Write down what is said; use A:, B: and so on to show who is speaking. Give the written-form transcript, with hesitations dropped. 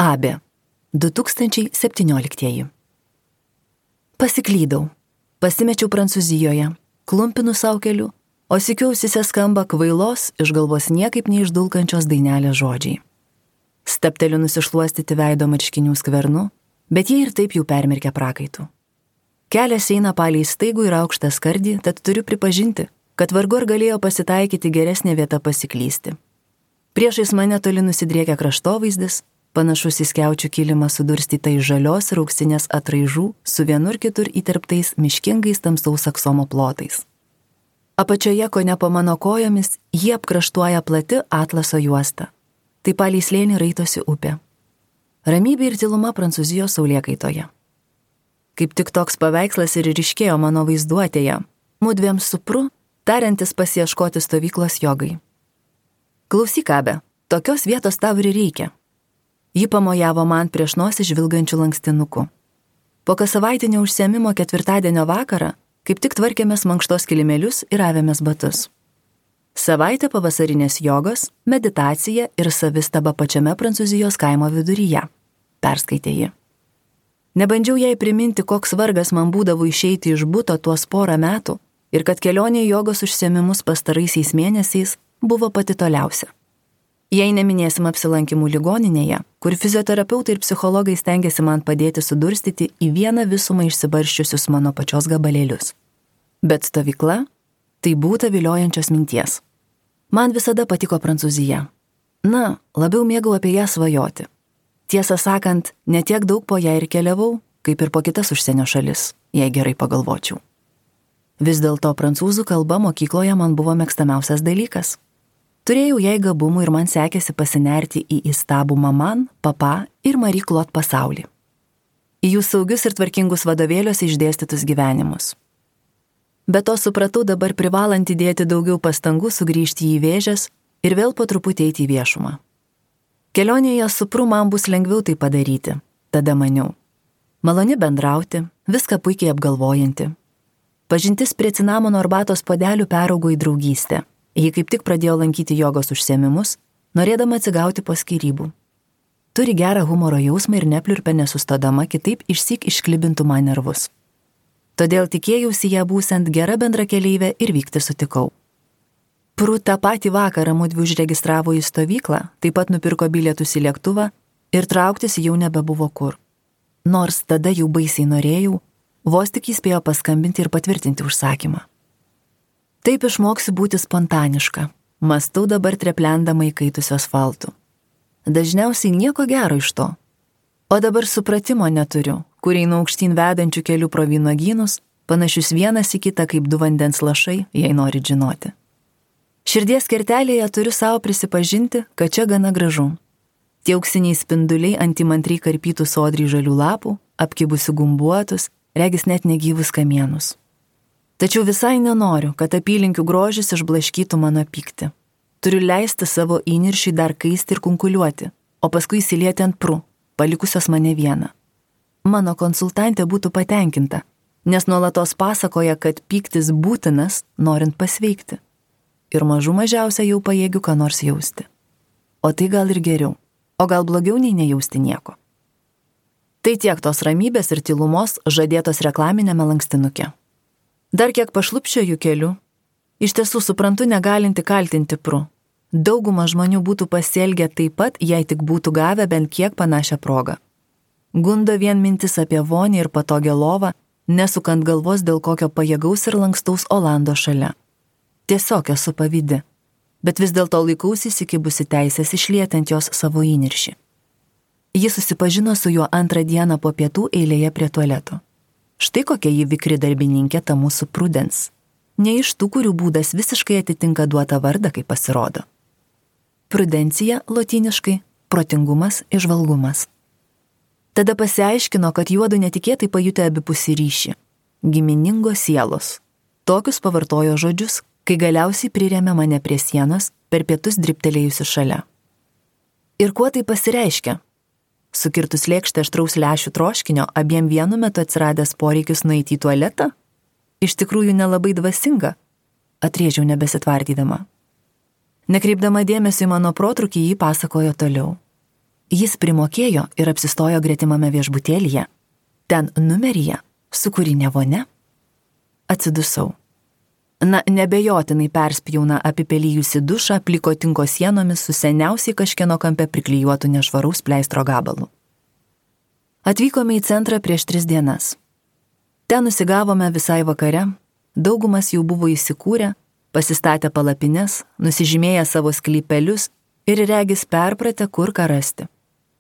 A: Abė. 2017. Pasiklydau. Pasimečiau Prancūzijoje, klumpinu savo keliu, o sykiu ausyse skamba kvailos, iš galvos niekaip neišdulkančios dainelės žodžiai. Stepteliu nusišluostyti veido marškinių skvernu, bet jie ir taip jau permirkę prakaitų. Kelias eina palei staigų ir aukštą skardį, tad turiu pripažinti, kad vargu ar galėjo pasitaikyti geresnė vieta pasiklysti. Priešais mane toli nusidriekia kraštovaizdis, panašus į skiaučių kilimą sudurstytais žalios ir auksinės atraižų su vienur kitur įterptais miškingais tamsaus aksomo plotais. Apačioje, kone po mano kojomis, jie apkraštuoja plati atlaso juosta. Tai palei slėnį raitosi upė. Ramybė ir tyluma Prancūzijos saulėkaitoje. Kaip tik toks paveikslas ir ryškėjo mano vaizduotėje, mudviem su Pru, tariantis pasiieškoti stovyklos jogai. Klausyk, Abė, tokios vietos tau ir reikia. Ji pamojavo man prieš nosį žvilgančių lankstinuku. Po kasavaitinio užsiėmimo ketvirtadienio vakarą kaip tik tvarkėmės mankštos kilimėlius ir avėmės batus. Savaitė pavasarinės jogos, meditacija ir savistaba pačiame Prancūzijos kaimo viduryje, perskaitė ji. Nebandžiau jai priminti, koks vargas man būdavo išeiti iš buto tuos porą metų ir kad kelionė į jogos užsiėmimus pastaraisiais mėnesiais buvo pati toliausia. Jei neminėsim apsilankimų ligoninėje, kur fizioterapeutai ir psichologai stengiasi man padėti sudurstyti į vieną visumą išsibarščiusius mano pačios gabalėlius. Bet stovykla – tai būta viliojančios minties. Man visada patiko Prancūzija. Na, labiau mėgau apie ją svajoti. Tiesą sakant, netiek daug po ją ir keliavau, kaip ir po kitas užsienio šalis, jei gerai pagalvočiau. Vis dėlto prancūzų kalba mokykloje man buvo mėgstamiausias dalykas. Turėjau jai gabumų ir man sekėsi pasinerti į įstabų Maman, Papa ir Marie Claude pasaulį. Į jų saugius ir tvarkingus vadovėliuose išdėstytus gyvenimus. Be to supratau dabar privalant įdėti daugiau pastangų sugrįžti į Vėžes ir vėl po truputį eiti į viešumą. Kelionėje su Pru man bus lengviau tai padaryti, tada maniau. Maloni bendrauti, viską puikiai apgalvojanti. Pažintis prie cinamono arbatos puodelių peraugo į draugystę. Ji kaip tik pradėjo lankyti jogos užsiėmimus, norėdama atsigauti po skyrybų. Turi gerą humoro jausmą ir nepliurpia nesustodama, kitaip išsyk išklibintų man nervus. Todėl tikėjausi ją būsiant gera bendrakeleivė ir vykti sutikau. Pru tą patį vakarą mudvi užregistravo į stovyklą, taip pat nupirko bilietus į lėktuvą ir trauktis jau nebebuvo kur. Nors tada jau baisiai norėjau, vos tik įspėjo paskambinti ir patvirtinti užsakymą. Taip išmoksiu būti spontaniška, mąstau dabar treplendama įkaitusio asfaltų. Dažniausiai nieko gero iš to. O dabar supratimo neturiu, kur einu aukštyn vedančių kelių pro vynuogynus, panašius vienas į kitą kaip du vandens lašai, jei nori žinoti. Širdies kertelėje turiu savo prisipažinti, kad čia gana gražu. Tie auksiniai spinduliai ant įmantriai karpytų sodriai žalių lapų, apkibusių gumbuotus, regis net negyvus kamienus. Tačiau visai nenoriu, kad apylinkių grožis išblaškytų mano pyktį. Turiu leisti savo įniršiui dar kaisti ir kunkuliuoti, o paskui įsilieti ant Pru, palikusios mane vieną. Mano konsultantė būtų patenkinta, nes nuolatos pasakoja, kad pyktis būtinas, norint pasveikti. Ir mažų mažiausia jau pajėgiu ką nors jausti. O tai gal ir geriau, o gal blogiau nei nejausti nieko. Tai tiek tos ramybės ir tylumos žadėtos reklaminėme lankstinuke. Dar kiek pašlupščioju keliu, iš tiesų suprantu negalinti kaltinti Pru. Dauguma žmonių būtų pasielgę taip pat, jei tik būtų gavę bent kiek panašią progą. Gundo vien mintis apie vonį ir patogią lovą, nesukant galvos dėl kokio pajėgaus ir lankstaus Olando šalia. Tiesiog esu pavydi, bet vis dėlto laikausi įsikibusi teisės išlieti ant jos savo įniršį. Ji susipažino su juo antrą dieną po pietų eilėje prie tualeto. Štai kokia ji vikri darbininkė ta mūsų Prudence. Ne iš tų, kurių būdas visiškai atitinka duotą vardą, kaip pasirodo. Prudencija lotyniškai protingumas, įžvalgumas. Tada pasiaiškino, kad juodu netikėtai pajutė abipusį ryšį. Giminingos sielos. Tokius pavartojo žodžius, kai galiausiai prirėmė mane prie sienos, per pietus dribtelėjusi šalia. Ir kuo tai pasireiškia? Sukirtus lėkštę aštraus lęšių troškinio, abiem vienu metu atsiradęs poreikis nueiti į tualetą? Iš tikrųjų nelabai dvasinga, atrėžiau nebesitvardydama. Nekreipdama dėmesio į mano protrūkį, jį pasakojo toliau. Jis primokėjo ir apsistojo gretimame viešbutėlyje, ten numeryje, su kūrinė vonia. Atsidusau. Nebejotinai perspjauna apipelyjusi dušą pliko tinko sienomis su seniausiai kažkieno kampe priklijuotų nešvaraus pleistro gabalu. Atvykome į centrą prieš 3 dienas. Ten nusigavome visai vakare, daugumas jau buvo įsikūrę, pasistatę palapines, nusižymėję savo sklypelius ir regis perpratę, kur ką rasti.